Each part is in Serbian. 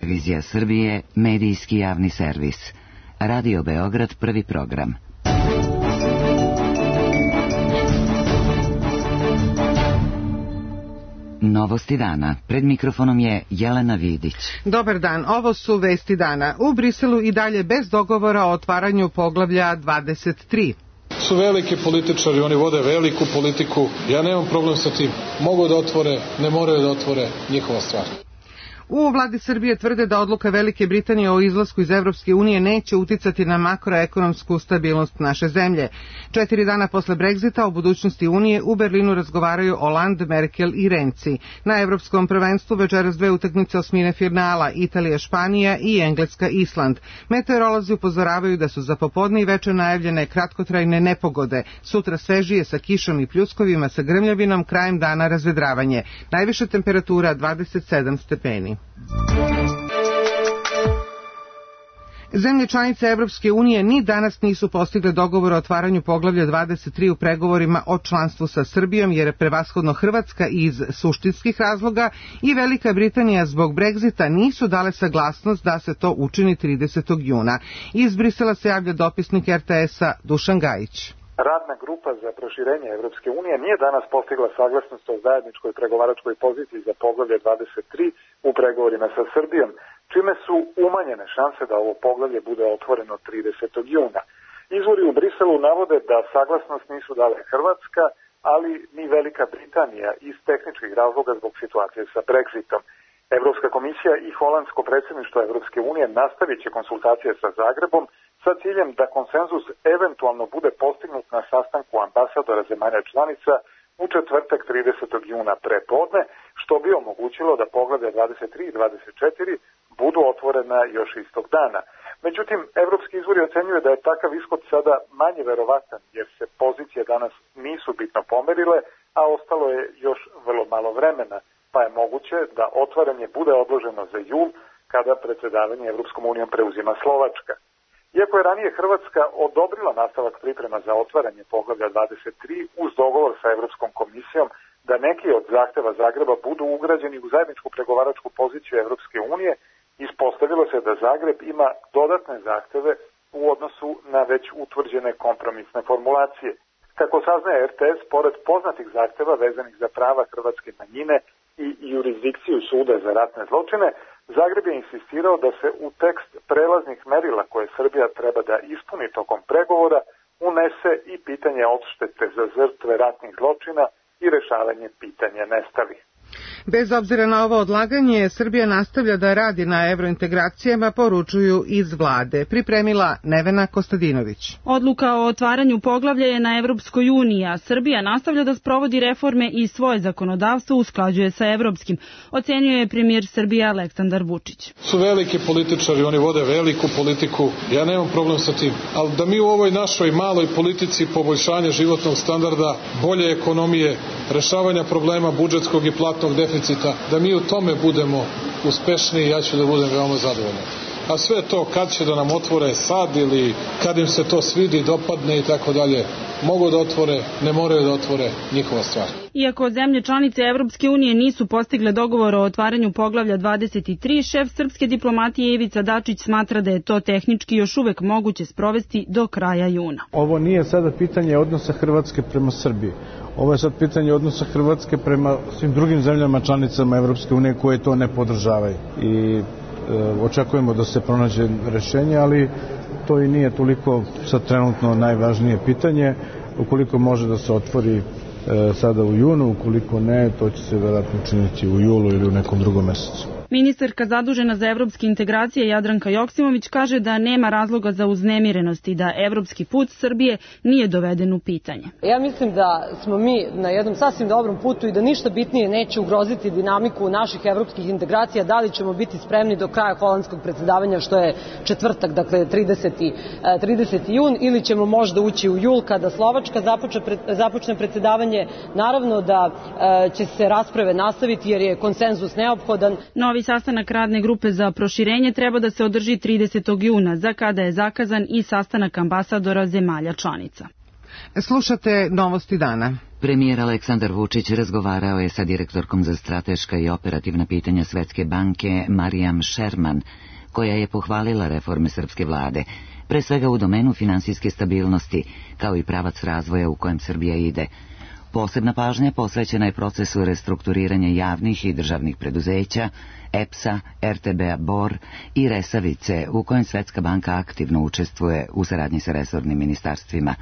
Televizija Srbije, medijski javni servis. Radio Beograd, prvi program. Novosti dana. Pred mikrofonom je Jelena Vidić. Dobar dan, ovo su vesti dana. U Briselu i dalje bez dogovora o otvaranju poglavlja 23. Su veliki političari, oni vode veliku politiku, ja nemam problem sa tim. Mogu da otvore, ne moraju da otvore, njihova stvar. U vladi Srbije tvrde da odluka Velike Britanije o izlasku iz Evropske unije neće uticati na makroekonomsku stabilnost naše zemlje. 4 dana posle Brexita o budućnosti Unije u Berlinu razgovaraju Hollande, Merkel i Renzi. Na evropskom prvenstvu večeras 2 utakmice osmine finala, Italija, Španija i Engleska, Island. Meteorolozi upozoravaju da su za popodne i veče najavljene kratkotrajne nepogode. Sutra svežije sa kišom i pljuskovima sa grmljavinom, krajem dana razvedravanje. Najviša temperatura 27 stepeni. Zemlje članice Evropske unije ni danas nisu postigle dogovor o otvaranju poglavlja 23 u pregovorima o članstvu sa Srbijom, jer je prevashodno Hrvatska iz suštinskih razloga i Velika Britanija zbog Brexita nisu dale saglasnost da se to učini 30. juna. Iz Brisela se javlja dopisnik RTS-a Dušan Gajić. Radna grupa za proširenje Evropske unije nije danas postigla saglasnost o zajedničkoj pregovaračkoj poziciji za poglavlje 23 u pregovorima sa Srbijom, čime su umanjene šanse da ovo poglavlje bude otvoreno 30. juna. Izvori u Briselu navode da saglasnost nisu dale Hrvatska, ali ni Velika Britanija iz tehničkih razloga zbog situacije sa Brexitom. Evropska komisija i holandsko predsjedništvo Evropske unije nastavit će konsultacije sa Zagrebom sa ciljem da konsenzus eventualno bude postignut na sastanku ambasadora zemalja članica u četvrtak 30. juna prepodne, što bi omogućilo da poglavlja 23 i 24 budu otvorena još istog dana. Međutim, evropski izvori ocenjuju da je takav ishod sada manje verovatan, jer se pozicije danas nisu bitno pomerile, a ostalo je još vrlo malo vremena, pa je moguće da otvaranje bude odloženo za jul, kada predsjedavanje Evropskom unijom preuzima Slovačka. Iako je ranije Hrvatska odobrila nastavak priprema za otvaranje poglavlja 23 uz dogovor sa Evropskom komisijom da neki od zahteva Zagreba budu ugrađeni u zajedničku pregovaračku poziciju Evropske unije, ispostavilo se da Zagreb ima dodatne zahteve u odnosu na već utvrđene kompromisne formulacije. Kako saznaje RTS, pored poznatih zahteva vezanih za prava hrvatske manjine i jurisdikciju suda za ratne zločine, Zagreb je insistirao da se u tekst prelaznih merila koje Srbija treba da ispuni tokom pregovora unese i pitanje odštete za žrtve ratnih zločina i rešavanje pitanja nestalih. Bez obzira na ovo odlaganje, Srbija nastavlja da radi na evrointegracijama, poručuju iz vlade. Pripremila Nevena Kostadinović. Odluka o otvaranju poglavlja je na Evropskoj uniji, a Srbija nastavlja da sprovodi reforme i svoje zakonodavstvo usklađuje sa evropskim, ocenjuje premijer Srbije Aleksandar Vučić. Su veliki političari, oni vode veliku politiku, ja nemam problem sa tim. Ali da mi u ovoj našoj maloj politici poboljšanja životnog standarda, bolje ekonomije, rešavanja problema budžetskog i platnog deficita, da mi u tome budemo uspešniji, ja ću da budem veoma zadovoljan. A sve to kad će da nam otvore sad ili kad im se to svidi, dopadne i tako dalje, mogu da otvore, ne moraju da otvore, njihova stvar. Iako zemlje članice Evropske unije nisu postigle dogovor o otvaranju poglavlja 23, šef srpske diplomatije Ivica Dačić smatra da je to tehnički još uvek moguće sprovesti do kraja juna. Ovo nije sada pitanje odnosa Hrvatske prema Srbiji. Ovo je sad pitanje odnosa Hrvatske prema svim drugim zemljama članicama Evropske unije koje to ne podržavaju. I očekujemo da se pronađe rešenje, ali to i nije toliko sad trenutno najvažnije pitanje. Ukoliko može da se otvori sada u junu, ukoliko ne, to će se vjerojatno učiniti u julu ili u nekom drugom mesecu. Ministarka zadužena za evropske integracije Jadranka Joksimović kaže da nema razloga za uznemirenost i da evropski put Srbije nije doveden u pitanje. Ja mislim da smo mi na jednom sasvim dobrom putu i da ništa bitnije neće ugroziti dinamiku naših evropskih integracija. Da li ćemo biti spremni do kraja holandskog predsjedavanja, što je četvrtak, dakle 30. jun, ili ćemo možda ući u jul kada Slovačka započne predsjedavanje. Naravno da će se rasprave nastaviti jer je konsenzus neophodan. Novi sastanak radne grupe za proširenje treba da se održi 30. juna, za kada je zakazan i sastanak ambasadora zemalja članica. Slušate Novosti dana. Premijer Aleksandar Vučić razgovarao je sa direktorkom za strateška i operativna pitanja Svetske banke Marijam Šerman, koja je pohvalila reforme srpske vlade, pre svega u domenu finansijske stabilnosti, kao i pravac razvoja u kojem Srbija ide. Posebna pažnja posvećena je procesu restrukturiranja javnih i državnih preduzeća, EPS-a, RTB-a Bor i Resavice, u kojem Svetska banka aktivno učestvuje u saradnji sa resornim ministarstvima.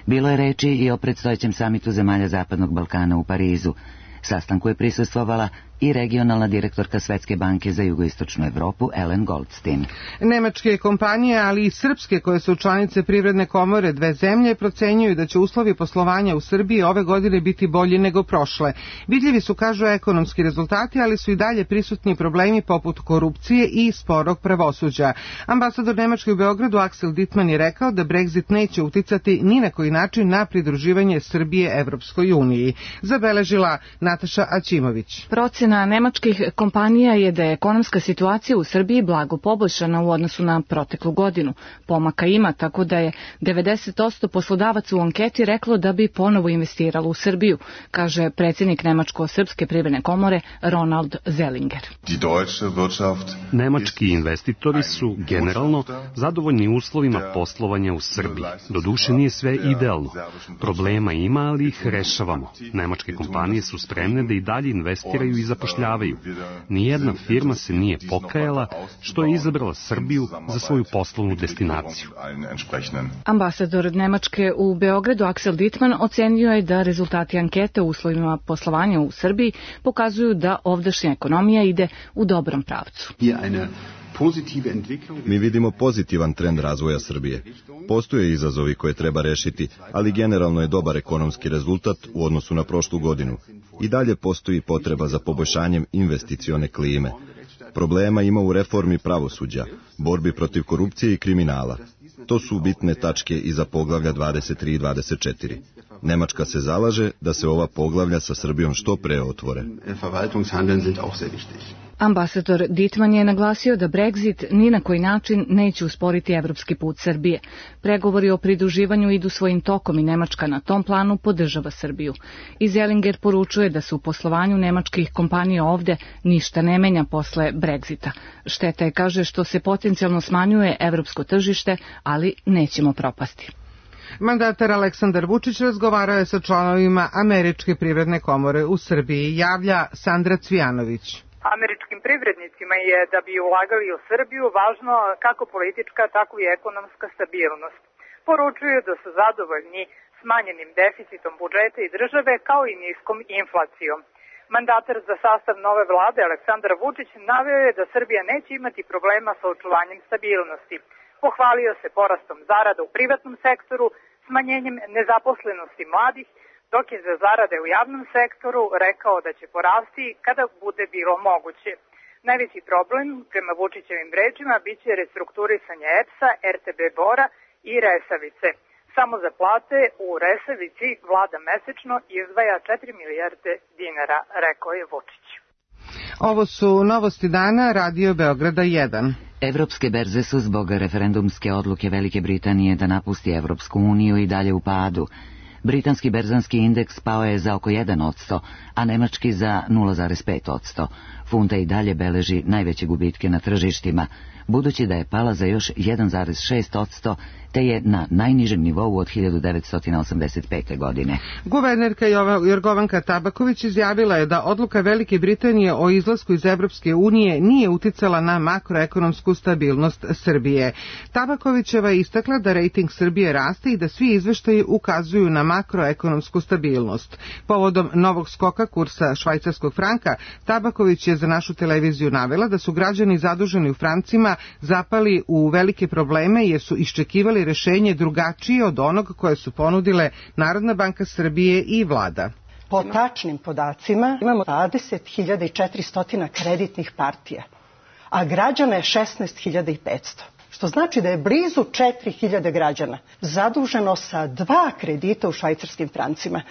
Bilo je reči i o predstojećem samitu zemalja Zapadnog Balkana u Parizu. Sastanku je prisustvovala i regionalna direktorka Svetske banke za jugoistočnu Evropu Ellen Goldstein. Nemačke kompanije, ali i srpske koje su članice Privredne komore dve zemlje, procenjuju da će uslovi poslovanja u Srbiji ove godine biti bolji nego prošle. Vidljivi su, kažu, ekonomski rezultati, ali su i dalje prisutni problemi poput korupcije i sporog pravosuđa. Ambasador Nemačke u Beogradu Axel Dittmann je rekao da Brexit neće uticati ni na koji način na pridruživanje Srbije Evropskoj uniji. Zabeležila Nataša Aćimović. Procena nemačkih kompanija je da je ekonomska situacija u Srbiji blago poboljšana u odnosu na proteklu godinu. Pomaka ima, tako da je 90% poslodavaca u anketi reklo da bi ponovo investiralo u Srbiju, kaže predsjednik Nemačko-srpske privredne komore Ronald Zellinger. Nemački investitori su generalno zadovoljni uslovima poslovanja u Srbiji. Doduše nije sve idealno. Problema ima, ali ih rešavamo. Nemačke kompanije su spremne da i dalje investiraju i zapošljavaju. Nijedna firma se nije pokajala što je izabrala Srbiju za svoju poslovnu destinaciju. Ambasador Nemačke u Beogradu Axel Dittmann ocenio je da rezultati ankete u uslovima poslovanja u Srbiji pokazuju da ovdašnja ekonomija ide u dobrom pravcu. Mi vidimo pozitivan trend razvoja Srbije. Postoje izazovi koje treba rešiti, ali generalno je dobar ekonomski rezultat u odnosu na prošlu godinu. I dalje postoji potreba za poboljšanjem investicione klime. Problema ima u reformi pravosuđa, borbi protiv korupcije i kriminala. To su bitne tačke i za poglavlja 23 i 24. Nemačka se zalaže da se ova poglavlja sa Srbijom što pre otvore. Ambasador Dittmann je naglasio da Brexit ni na koji način neće usporiti evropski put Srbije. Pregovori o pridruživanju idu svojim tokom i Nemačka na tom planu podržava Srbiju. I Zellinger poručuje da se u poslovanju nemačkih kompanija ovde ništa ne menja posle Brexita. Šteta je, kaže, što se potencijalno smanjuje evropsko tržište, ali nećemo propasti. Mandatar Aleksandar Vučić razgovarao je sa članovima Američke privredne komore u Srbiji, javlja Sandra Cvijanović. Američkim privrednicima je da bi ulagali u Srbiju važno kako politička, tako i ekonomska stabilnost. Poručuju da su zadovoljni smanjenim deficitom budžeta i države kao i niskom inflacijom. Mandatar za sastav nove vlade Aleksandar Vučić naveo je da Srbija neće imati problema sa očuvanjem stabilnosti. Pohvalio se porastom zarada u privatnom sektoru, smanjenjem nezaposlenosti mladih, dok je za zarade u javnom sektoru rekao da će porasti kada bude bilo moguće. Najveći problem, prema Vučićevim rečima, biće restrukturisanje EPS-a, RTB Bora i Resavice. Samo za plate u Resavici vlada mesečno izdvaja 4 milijarde dinara, rekao je Vučić. Ovo su novosti dana, Radio Beograda 1. Evropske berze su zbog referendumske odluke Velike Britanije da napusti Evropsku uniju i dalje u padu. Britanski berzanski indeks pao je za oko 1%, a nemački za 0,5%. Funta i dalje beleži najveće gubitke na tržištima, budući da je pala za još 1,6%, te je na najnižem nivou od 1985. godine. Guvernerka Jorgovanka Tabaković izjavila je da odluka Velike Britanije o izlasku iz Evropske unije nije uticala na makroekonomsku stabilnost Srbije. Tabakovićeva je istakla da rejting Srbije raste i da svi izveštaji ukazuju na makroekonomsku stabilnost. Povodom novog skoka kursa švajcarskog franka, Tabaković je za našu televiziju navela da su građani zaduženi u francima zapali u velike probleme jer su iščekivali rešenje drugačije od onog koje su ponudile Narodna banka Srbije i vlada. Po tačnim podacima imamo 20.400 kreditnih partija, a građana je 16.500. Što znači da je blizu 4.000 građana zaduženo sa 2 kredita u švajcarskim francima.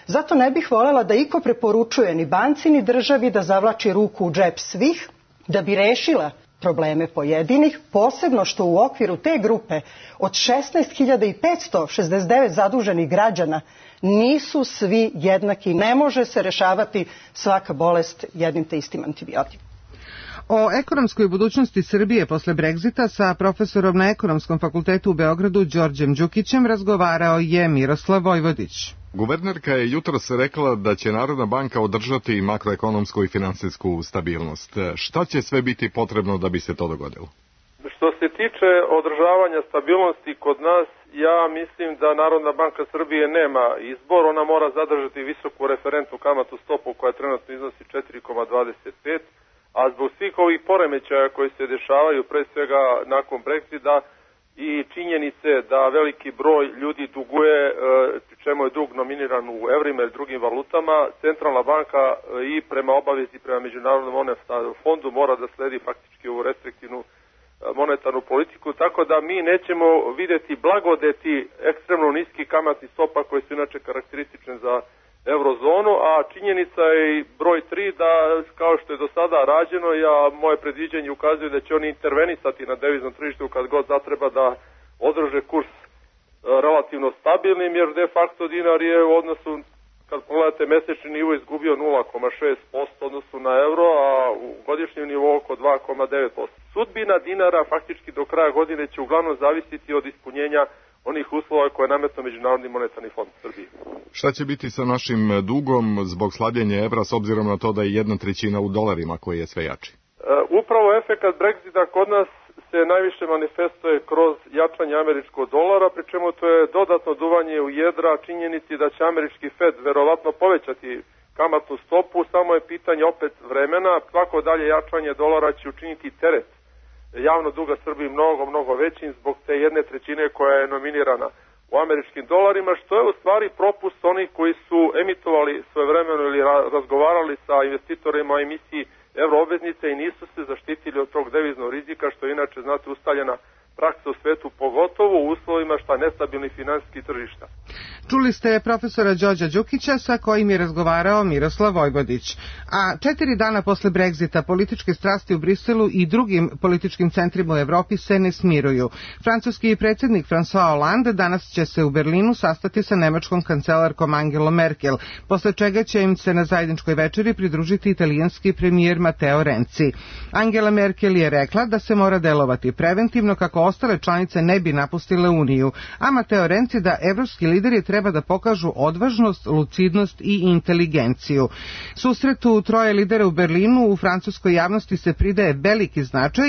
Zato ne bih voljela da iko preporučuje ni banci ni državi da zavlači ruku u džep svih da bi rešila probleme pojedinih, posebno što u okviru te grupe od 16.569 zaduženih građana Nisu svi jednaki, ne može se rešavati svaka bolest jednim te istim antibiotikom. O ekonomskoj budućnosti Srbije posle Brexita sa profesorom na Ekonomskom fakultetu u Beogradu Đorđem Đukićem razgovarao je Miroslav Vojvodić. Guvernerka je jutros rekla da će Narodna banka održati makroekonomsku i finansijsku stabilnost. Šta će sve biti potrebno da bi se to dogodilo? Što se tiče održavanja stabilnosti kod nas, ja mislim da Narodna banka Srbije nema izbor, ona mora zadržati visoku referentnu kamatnu stopu koja trenutno iznosi 4,25, a zbog svih ovih poremećaja koji se dešavaju, pre svega nakon Brexita i činjenice da veliki broj ljudi duguje, pri čemu je dug nominiran u evrima ili drugim valutama, Centralna banka i prema obavezi prema Međunarodnom monetarnom fondu mora da sledi faktički ovu restriktivnu monetarnu politiku, tako da mi nećemo videti blagodeti ekstremno niski kamatnih stopa koji su inače karakteristične za eurozonu, a činjenica je i broj 3 da kao što je do sada rađeno, moje predviđenje ukazuje da će oni intervenisati na deviznom tržištu kad god zatreba da održe kurs relativno stabilnim, jer de facto dinar je u odnosu, kad pogledate mesečni nivo, izgubio 0,6% odnosu na euro, a u godišnjem nivou oko 2,9%. Sudbina dinara faktički do kraja godine će uglavnom zavisiti od ispunjenja onih uslova koje je nametno Međunarodni monetarni fond Srbije. Šta će biti sa našim dugom zbog slabljenja evra s obzirom na to da je 1/3 u dolarima koji je sve jači? Upravo efekat Brexita kod nas se najviše manifestuje kroz jačanje američkog dolara, pri čemu to je dodatno duvanje u jedra činjenici da će američki Fed verovatno povećati kamatnu stopu, samo je pitanje opet vremena, svako dalje jačanje dolara će učiniti teret javnog duga Srbiji mnogo većim zbog te 1/3 koja je nominirana u američkim dolarima, što je u stvari propust onih koji su emitovali svojevremeno ili razgovarali sa investitorima o emisiji euroobveznice i nisu se zaštitili od tog deviznog rizika, što je inače, znate, ustaljena praksa u svetu, pogotovo u uslovima šta nestabilnih finansijskih tržišta. Čuli ste profesora Đorđa Đukića sa kojim je razgovarao Miroslav Vojvodić. A 4 dana posle Brexita političke strasti u Briselu i drugim političkim centrima u Evropi se ne smiruju. Francuski predsjednik François Hollande danas će se u Berlinu sastati sa nemačkom kancelarkom Angelom Merkel, posle čega će im se na zajedničkoj večeri pridružiti italijanski premijer Matteo Renzi. Angela Merkel je rekla da se mora delovati preventivno kako ostale članice ne bi napustile Uniju, a Matteo Renzi da evropski lideri treba da pokažu odvažnost, lucidnost i inteligenciju. Susretu troje lidera u Berlinu u francuskoj javnosti se pridaje veliki značaj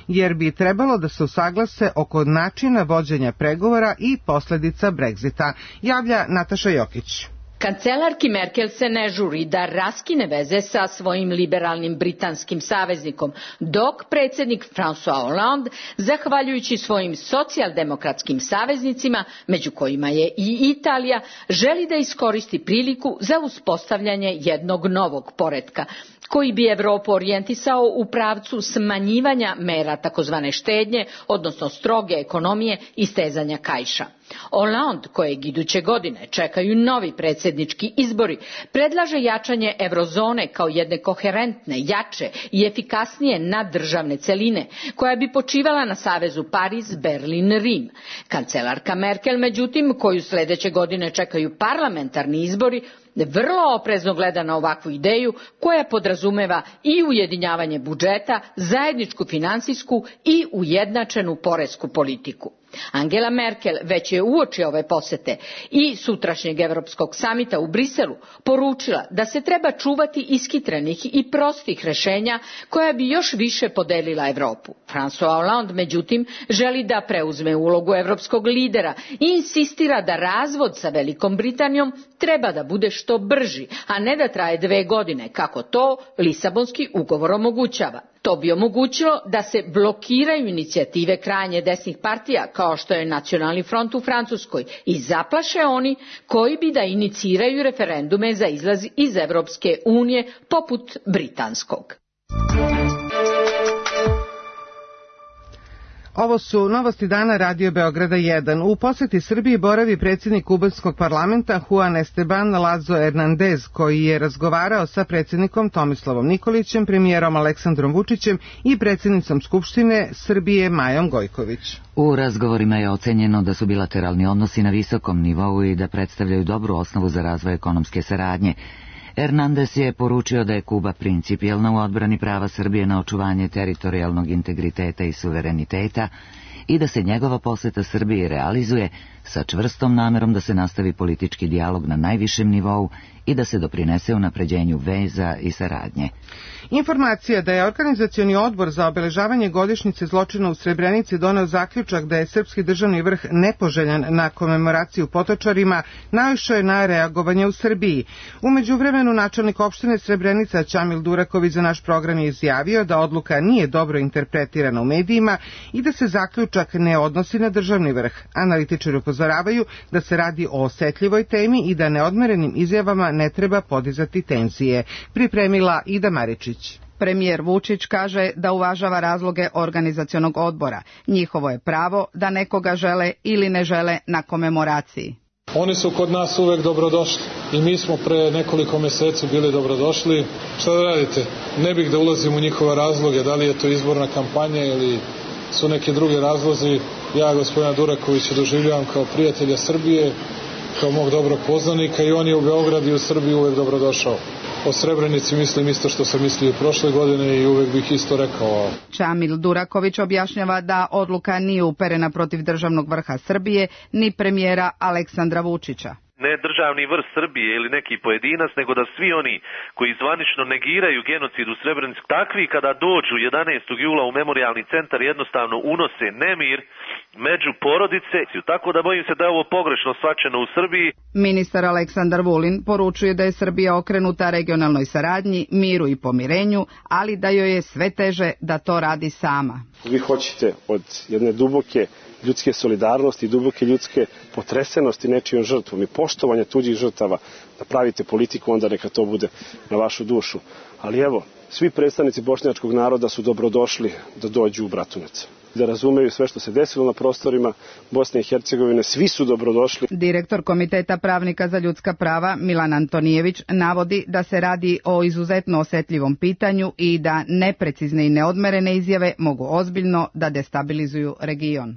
jer bi trebalo da se usaglase oko načina vođenja pregovora i posledica Brexita, javlja Nataša Jokić. Kancelarki Merkel se ne žuri da raskine veze sa svojim liberalnim britanskim saveznikom, dok predsjednik François Hollande, zahvaljujući svojim socijaldemokratskim saveznicima, među kojima je i Italija, želi da iskoristi priliku za uspostavljanje jednog novog poretka, koji bi Evropu orijentisao u pravcu smanjivanja mera takozvane štednje, odnosno stroge ekonomije i stezanja kaiša. Hollande, kojeg iduće godine čekaju novi predsjednički izbori, predlaže jačanje eurozone kao jedne koherentne, jače i efikasnije naddržavne celine, koja bi počivala na savezu Pariz, Berlin, Rim. Kancelarka Merkel, međutim, koju sljedeće godine čekaju parlamentarni izbori, vrlo oprezno gleda na ovakvu ideju koja podrazumeva i ujedinjavanje budžeta, zajedničku finansijsku i ujednačenu poresku politiku. Angela Merkel već je uoči ove posete i sutrašnjeg Evropskog samita u Briselu poručila da se treba čuvati iskitrenih i prostih rješenja koja bi još više podelila Evropu. François Hollande, međutim, želi da preuzme ulogu evropskog lidera i insistira da razvod sa Velikom Britanijom treba da bude što brži, a ne da traje 2 godine, kako to Lisabonski ugovor omogućava. To bi omogućilo da se blokiraju inicijative krajnje desnih partija, kao što je Nacionalni front u Francuskoj, i zaplaše oni koji bi da iniciraju referendume za izlaz iz Evropske unije, poput britanskog. Ovo su novosti dana Radio Beograda 1. U poseti Srbiji boravi predsjednik kubanskog parlamenta Juan Esteban Lazo Hernandez, koji je razgovarao sa predsjednikom Tomislavom Nikolićem, premijerom Aleksandrom Vučićem i predsjednicom Skupštine Srbije Majom Gojković. U razgovorima je ocenjeno da su bilateralni odnosi na visokom nivou i da predstavljaju dobru osnovu za razvoj ekonomske saradnje. Hernandez je poručio da je Kuba principijelna u odbrani prava Srbije na očuvanje teritorijalnog integriteta i suvereniteta i da se njegova poseta Srbiji realizuje sa čvrstom namerom da se nastavi politički dijalog na najvišem nivou i da se doprinese unapređenju veza i saradnje. Informacija da je Organizacioni odbor za obeležavanje godišnjice zločina u Srebrenici doneo zaključak da je srpski državni vrh nepoželjan na komemoraciju Potočarima naišao je na reagovanje u Srbiji. U međuvremenu načelnik opštine Srebrenica Čamil Duraković za naš program je izjavio da odluka nije dobro interpretirana u medijima i da se zaključak ne odnosi na državni vrh. Analitičari upozoravaju da se radi o osetljivoj temi i da neodmerenim izjavama ne treba podizati tenzije. Pripremila Ida Maričić. Premijer Vučić kaže da uvažava razloge organizacionog odbora. Njihovo je pravo da nekoga žele ili ne žele na komemoraciji. Oni su kod nas uvek dobrodošli i mi smo pre nekoliko meseci bili dobrodošli. Šta da radite? Ne bih da ulazim u njihove razloge, da li je to izborna kampanja ili su neki drugi razlozi. Ja gospodina Durakovića doživljavam kao prijatelja Srbije, kao mog dobrog poznanika i on je u Beogradu i u Srbiji uvek dobrodošao. O Srebrenici mislim isto što sam mislio prošle godine i uvek bih isto rekao. Čamil Duraković objašnjava da odluka nije uperena protiv državnog vrha Srbije ni premijera Aleksandra Vučića. Ne državni vrh Srbije ili neki pojedinac, nego da svi oni koji zvanično negiraju genocid u Srebrenici, takvi kada dođu 11. jula u memorijalni centar jednostavno unose nemir među porodice, tako da bojim se da je ovo pogrešno shvaćeno u Srbiji. Ministar Aleksandar Vulin poručuje da je Srbija okrenuta regionalnoj saradnji, miru i pomirenju, ali da joj je sve teže da to radi sama. Vi hoćete od jedne duboke ljudske solidarnosti i duboke ljudske potresenosti nečijom žrtvom i poštovanja tuđih žrtava da pravite politiku, onda neka to bude na vašu dušu. Ali evo, svi predstavnici bošnjačkog naroda su dobrodošli da dođu u Bratunac, da razumeju sve što se desilo na prostorima Bosne i Hercegovine, svi su dobrodošli. Direktor Komiteta pravnika za ljudska prava Milan Antonijević navodi da se radi o izuzetno osetljivom pitanju i da neprecizne i neodmerene izjave mogu ozbiljno da destabilizuju region.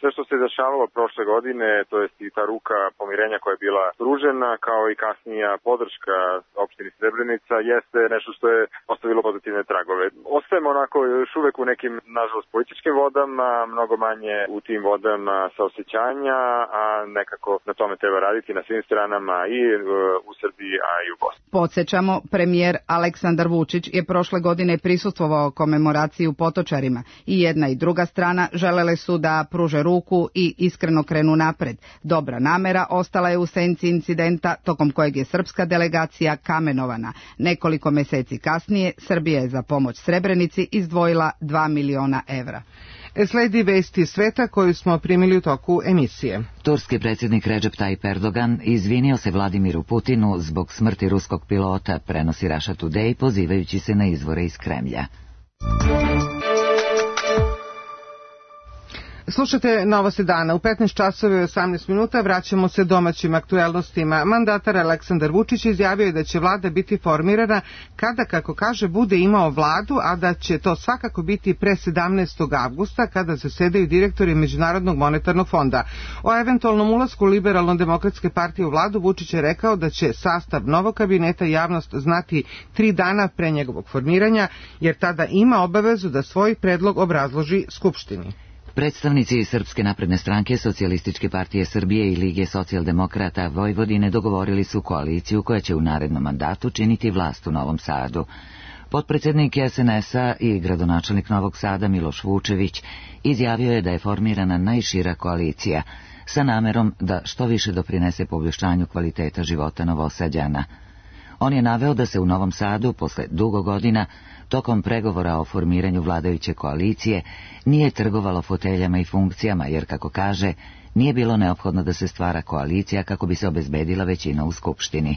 Sve što se dešavalo prošle godine, to jest i ta ruka pomirenja koja je bila pružena, kao i kasnija podrška opštini Srebrenica, jeste nešto što je ostavilo pozitivne tragove. Ostajemo onako još uvek u nekim, nažalost, političkim vodama, mnogo manje u tim vodama saosećanja, a nekako na tome treba raditi na svim stranama i u Srbiji, a i u Bosni. Podsjećamo, premijer Aleksandar Vučić je prošle godine prisustvovao komemoraciji u Potočarima i jedna i druga strana želele su da pruže ruku i iskreno krenu napred. Dobra namera ostala je u senci incidenta tokom kojeg je srpska delegacija kamenovana. Nekoliko meseci kasnije Srbija je za pomoć Srebrenici izdvojila 2 miliona evra. Sledi vesti sveta koju smo primili u toku emisije. Turski predsjednik Recep Tayyip Erdogan izvinio se Vladimiru Putinu zbog smrti ruskog pilota, prenosi Russia Today pozivajući se na izvore iz Kremlja. Slušate Novosti dana. U 15 časova i 18 minuta vraćamo se domaćim aktuelnostima. Mandatar Aleksandar Vučić izjavio je da će vlada biti formirana kada, kako kaže, bude imao vladu, a da će to svakako biti pre 17. avgusta kada zasedaju direktori Međunarodnog monetarnog fonda. O eventualnom ulasku Liberalno-demokratske partije u vladu Vučić je rekao da će sastav novog kabineta javnost znati 3 dana pre njegovog formiranja, jer tada ima obavezu da svoj predlog obrazloži Skupštini. Predstavnici Srpske napredne stranke, Socijalističke partije Srbije i Lige socijaldemokrata Vojvodine dogovorili su koaliciju koja će u narednom mandatu činiti vlast u Novom Sadu. Potpredsednik SNS-a i gradonačelnik Novog Sada Miloš Vučević izjavio je da je formirana najšira koalicija sa namerom da što više doprinese poboljšanju kvaliteta života Novosađana. On je naveo da se u Novom Sadu, posle dugo godina, tokom pregovora o formiranju vladajuće koalicije, nije trgovalo foteljama i funkcijama, jer, kako kaže, nije bilo neophodno da se stvara koalicija kako bi se obezbedila većina u Skupštini.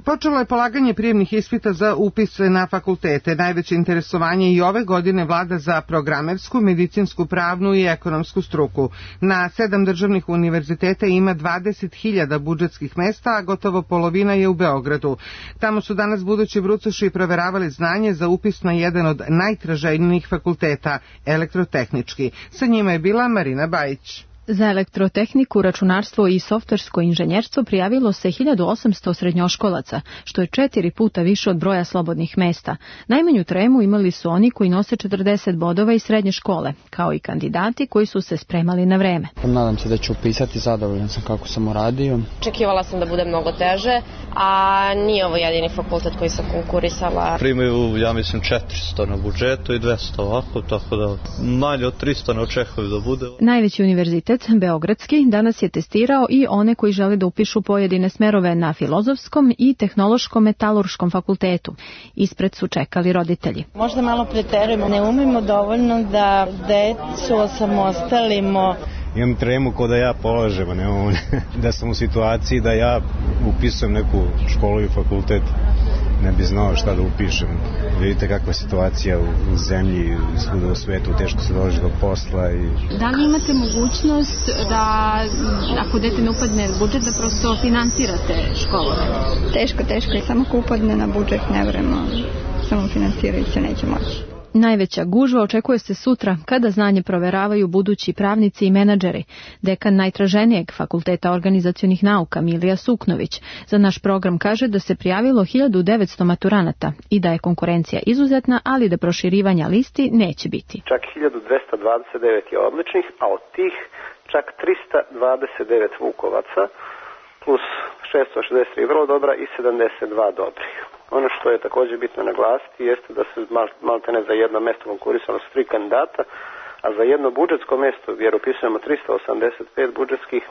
Počelo je polaganje prijemnih ispita za upis na fakultete. Najveće interesovanje i ove godine vlada za programersku, medicinsku, pravnu i ekonomsku struku. Na 7 državnih univerziteta ima 20.000 budžetskih mesta, a gotovo polovina je u Beogradu. Tamo su danas budući brucoši proveravali znanje za upis na jedan od najtraženijih fakulteta, elektrotehnički. Sa njima je bila Marina Bajić. Za elektrotehniku, računarstvo i softversko inženjerstvo prijavilo se 1800 srednjoškolaca, što je 4 puta više od broja slobodnih mesta. Najmanju tremu imali su oni koji nose 40 bodova iz srednje škole, kao i kandidati koji su se spremali na vreme. Nadam se da ću upisati, zadovoljan sam kako sam uradio. Očekivala sam da bude mnogo teže, a nije ovo jedini fakultet koji sam konkurisala. Primaju, ja mislim, 400 na budžetu i 200 ovako, tako da manje od 300 ne očekuju da bude. Najveći univerzitet, Beogradski, danas je testirao i one koji žele da upišu pojedine smerove na Filozofskom i Tehnološkom metalurškom fakultetu. Ispred su čekali roditelji. Možda malo preterujemo, ne umemo dovoljno da decu osamostalimo. Imam tremu ko da ja polažem, a ne da sam u situaciji da ja upisujem neku školu i fakultet. Ne bi znao šta da upišem. Vidite kakva je situacija u zemlji, svuda u svetu, teško se dođe do posla. Da li imate mogućnost da, ako dete ne upadne na budžet, da prosto finansirate školove? Teško i samo ko upadne na budžet ne vremo, samo finansirajući neće moći. Najveća gužva očekuje se sutra kada znanje proveravaju budući pravnici i menadžeri. Dekan najtraženijeg fakulteta organizacionih nauka Milija Suknović za naš program kaže da se prijavilo 1900 maturanata i da je konkurencija izuzetna, ali da proširivanja listi neće biti. Čak 1229 je odličnih, a od tih čak 329 vukovaca plus 663 vrlo dobra i 72 dobrih. Ono što je također bitno naglasiti jeste da se maltene za jedno mjesto konkurisalo s 3 kandidata, a za jedno budžetsko mjesto, jer upisujemo 385 budžetskih,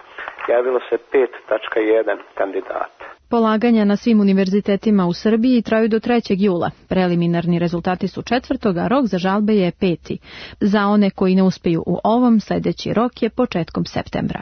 javilo se 5.1 kandidata. Polaganja na svim univerzitetima u Srbiji traju do 3. jula. Preliminarni rezultati su 4. a rok za žalbe je 5. Za one koji ne uspeju u ovom, sljedeći rok je početkom septembra.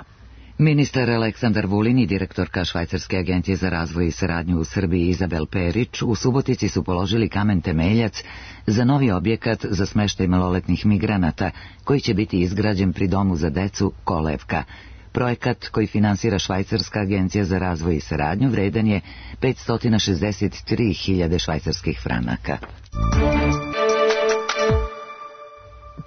Ministar Aleksandar Vulin i direktorka Švajcarske agencije za razvoj i saradnju u Srbiji Izabel Perić u Subotici su položili kamen temeljac za novi objekat za smeštaj maloletnih migranata koji će biti izgrađen pri domu za decu Kolevka. Projekat koji finansira Švajcarska agencija za razvoj i saradnju vredan je 563.000 švajcarskih franaka.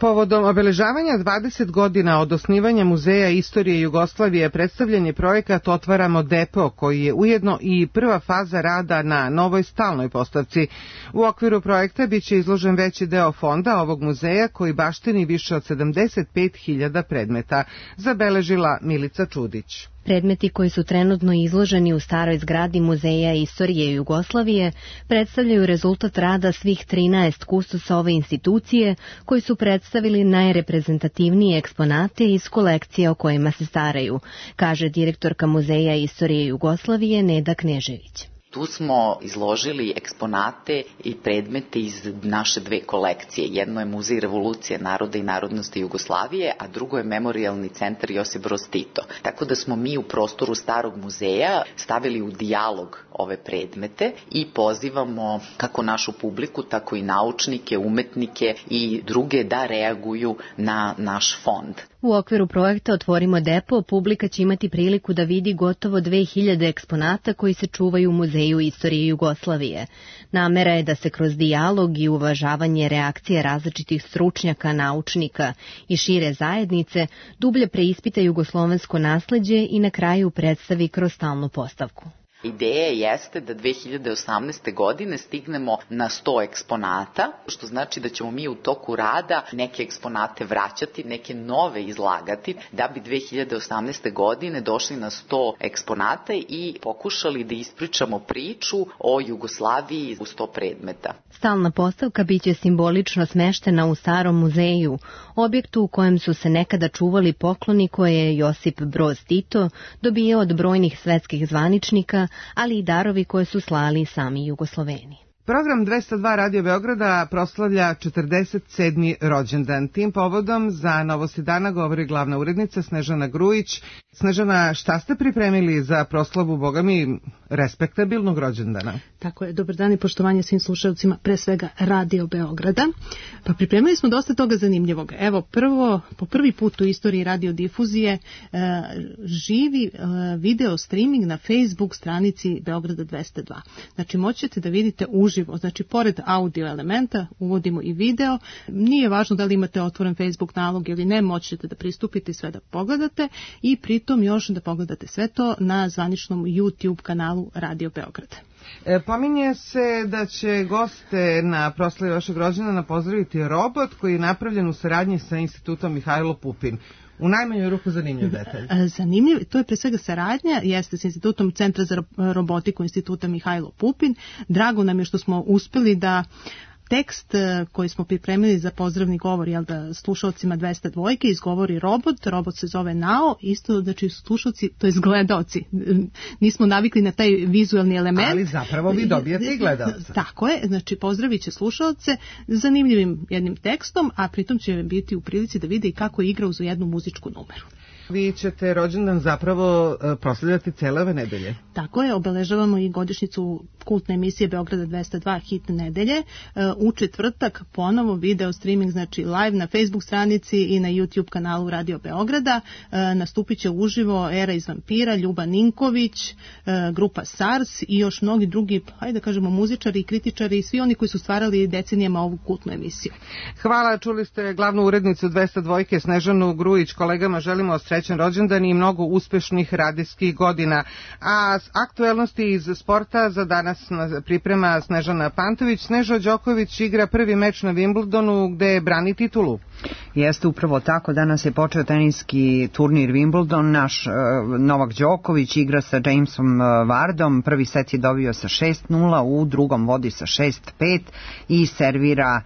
Povodom obeležavanja 20 godina od osnivanja Muzeja istorije Jugoslavije predstavljen je projekat Otvaramo depo, koji je ujedno i prva faza rada na novoj stalnoj postavci. U okviru projekta biće izložen veći deo fonda ovog muzeja koji baštini više od 75.000 predmeta, zabeležila Milica Čudić. Predmeti koji su trenutno izloženi u staroj zgradi Muzeja istorije Jugoslavije predstavljaju rezultat rada svih 13 kustosa ove institucije koji su predstavili najreprezentativnije eksponate iz kolekcije o kojima se staraju, kaže direktorka Muzeja istorije Jugoslavije Neda Knežević. Tu smo izložili eksponate i predmete iz naše dve kolekcije. Jedno je Muzej revolucije naroda i narodnosti Jugoslavije, a drugo je Memorijalni centar Josip Broz Tito. Tako da smo mi u prostoru starog muzeja stavili u dijalog ove predmete i pozivamo kako našu publiku, tako i naučnike, umetnike i druge da reaguju na naš fond. U okviru projekta Otvorimo depo publika će imati priliku da vidi gotovo 2000 eksponata koji se čuvaju u Muzeju istorije Jugoslavije. Namera je da se kroz dijalog i uvažavanje reakcije različitih stručnjaka, naučnika i šire zajednice dublje preispita jugoslovensko nasleđe i na kraju predstavi kroz stalnu postavku. Ideja jeste da 2018. godine stignemo na 100 eksponata, što znači da ćemo mi u toku rada neke eksponate vraćati, neke nove izlagati, da bi 2018. godine došli na 100 eksponata i pokušali da ispričamo priču o Jugoslaviji u 100 predmeta. Stalna postavka biće simbolično smeštena u starom muzeju, objektu u kojem su se nekada čuvali pokloni koje je Josip Broz Tito dobijao od brojnih svetskih zvaničnika, ali i darovi koje su slali sami Jugosloveni. Program 202 Radio Beograda proslavlja 47. rođendan. Tim povodom za Novosti dana govori glavna urednica Snežana Grujić. Snežana, šta ste pripremili za proslavu, boga mi, respektabilnog rođendana. Tako je, dobar dan i poštovanje svim slušalcima, pre svega Radio Beograda. Pa pripremili smo dosta toga zanimljivog. Evo, po prvi put u istoriji radiodifuzije živi video streaming na Facebook stranici Beograda 202. Znači, moćete da vidite uživo, znači, pored audio elementa uvodimo i video. Nije važno da li imate otvoren Facebook nalog ili ne, moćete da pristupite i sve da pogledate i pritom još da pogledate sve to na zvaničnom YouTube kanalu Radio Beograda. Pominje se da će goste na proslavi vašeg rođendana pozdraviti robot koji je napravljen u saradnji sa institutom Mihajlo Pupin. U najmanju ruku zanimljiv detalj. Zanimljiv, to je pre svega saradnja, jeste s institutom Centra za robotiku instituta Mihajlo Pupin. Drago nam je što smo uspeli da tekst koji smo pripremili za pozdravni govor, da slušalcima 202 izgovori robot se zove Nao, isto znači slušalci, to je gledaoci. Nismo navikli na taj vizualni element. Ali zapravo vi dobijate i gledaoca. Tako je, znači pozdravit će slušalce zanimljivim jednim tekstom, a pritom će biti u prilici da vide i kako igra uz jednu muzičku numeru. Vi ćete rođendan zapravo proslavljati cele ove nedelje. Tako je, obeležavamo i godišnjicu kultne emisije Beograda 202 Hit nedelje. U četvrtak ponovo video streaming, znači live na Facebook stranici i na YouTube kanalu Radio Beograda. Nastupit će uživo Era iz Vampira, Ljuba Ninković, grupa SARS i još mnogi drugi, hajde da kažemo, muzičari i kritičari i svi oni koji su stvarali decenijama ovu kultnu emisiju. Hvala, čuli ste glavnu urednicu 202 Snežanu Grujić. Kolegama želimo srećan rođendan i mnogo uspešnih radijskih godina. A aktuelnosti iz sporta za danas priprema Snežana Pantović. Snežo Đoković igra prvi meč na Wimbledonu gde brani titulu. Jeste upravo tako, danas je počeo teniski turnir Wimbledon, naš Novak Đoković igra sa Jamesom Wardom, prvi set je dobio sa 6-0, u drugom vodi sa 6-5 i servira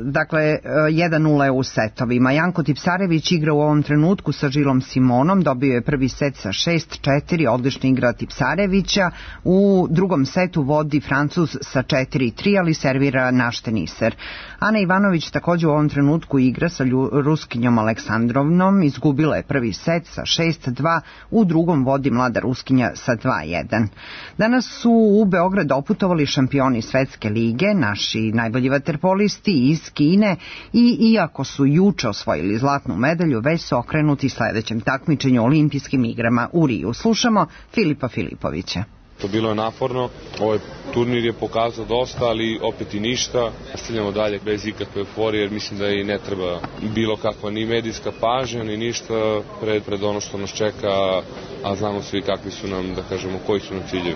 dakle 1-0 u setovima. Janko Tipsarević igra u ovom trenutku sa Žilom Simonom, dobio je prvi set sa 6-4, odlična igra Tipsarevića, u drugom setu vodi Francuz sa 4-3, ali servira naš teniser. Ana Ivanović također u ovom trenutku igra sa Ruskinjom Aleksandrovnom, izgubila je prvi set sa 6-2, u drugom vodi mlada Ruskinja sa 2-1. Danas su u Beograd doputovali šampioni svetske lige, naši najbolji vaterpolisti iz Kine i iako su juče osvojili zlatnu medalju, već su okrenuti sledećem takmičenju olimpijskim igrama u Riju. Slušamo Filipa Filipovića. To bilo je naporno, ovaj turnir je pokazao dosta, ali opet i ništa. Nastavljamo dalje bez ikakve euforije, jer mislim da i ne treba bilo kakva ni medijska pažnja, ni ništa pred ono što nas čeka, a znamo svi kakvi su nam, da kažemo, koji su nam ciljevi.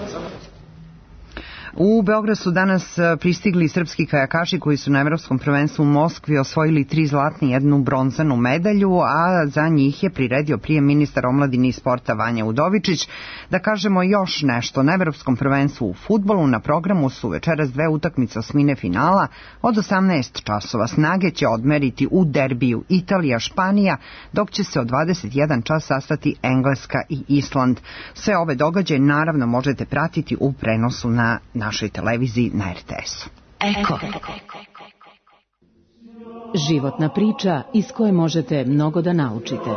U Beograd su danas pristigli srpski kajakaši koji su na Evropskom prvenstvu u Moskvi osvojili 3 zlatne i 1 bronzanu medalju, a za njih je priredio prijem ministar omladine i sporta Vanja Udovičić. Da kažemo još nešto, na Evropskom prvenstvu u fudbalu na programu su večeras 2 utakmice osmine finala. Od 18 časova snage će odmeriti u derbiju Italija-Španija, dok će se od 21 čas sastati Engleska i Island. Sve ove događaje naravno možete pratiti u prenosu na našoj televiziji na RTS-u. Eko. Životna priča iz koje možete mnogo da naučite.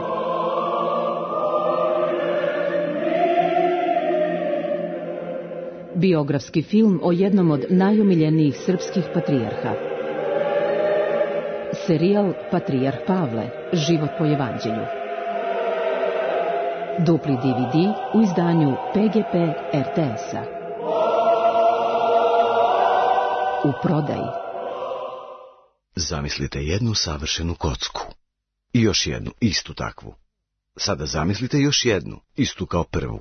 Biografski film o jednom od najomiljenijih srpskih patrijarha. Serijal Patrijarh Pavle, život po evanđelju. Dupli DVD u izdanju PGP RTS-a. U prodaji. Zamislite jednu savršenu kocku. I još jednu, istu takvu. Sada zamislite još jednu, istu kao prvu.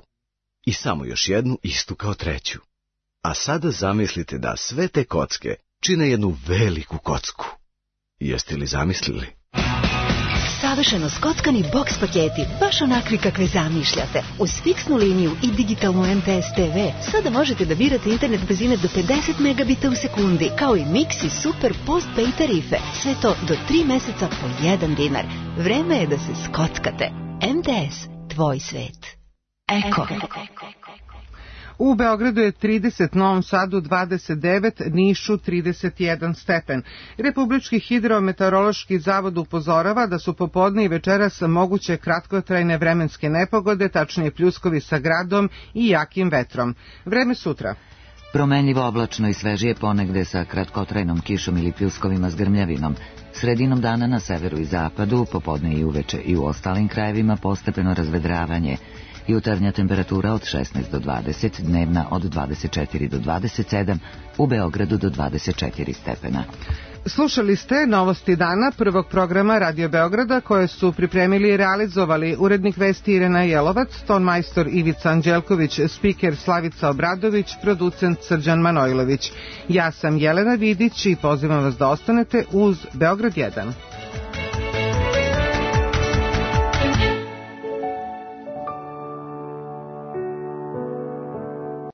I samo još jednu, istu kao treću. A sada zamislite da sve te kocke čine jednu veliku kocku. Jeste li zamislili? Savršeno skockani boks paketi, baš onakvi kakve zamišljate. Uz fiksnu liniju i digitalnu MTS TV sada možete da birate internet brzine do 50 megabita u sekundi, kao i Mix i Super postpay tarife. Sve to do 3 meseca po 1 dinar. Vreme je da se skockate. MTS, tvoj svet. Eko. U Beogradu je 30, Novom Sadu 29, Nišu 31 stepen. Republički hidrometeorološki zavod upozorava da su popodne i večeras moguće kratkotrajne vremenske nepogode, tačnije pljuskovi sa gradom i jakim vetrom. Vreme sutra. Promenljivo oblačno i svežije ponegde sa kratkotrajnom kišom ili pljuskovima s grmljavinom. Sredinom dana na severu i zapadu, popodne i uveče i u ostalim krajevima postepeno razvedravanje. Jutarnja temperatura od 16 do 20, dnevna od 24 do 27, u Beogradu do 24 stepena. Slušali ste Novosti dana prvog programa Radio Beograda koje su pripremili i realizovali urednik vesti Irena Jelovac, tonmajstor Ivica Anđelković, spiker Slavica Obradović, producent Srđan Manojlović. Ja sam Jelena Vidić i pozivam vas da ostanete uz Beograd 1.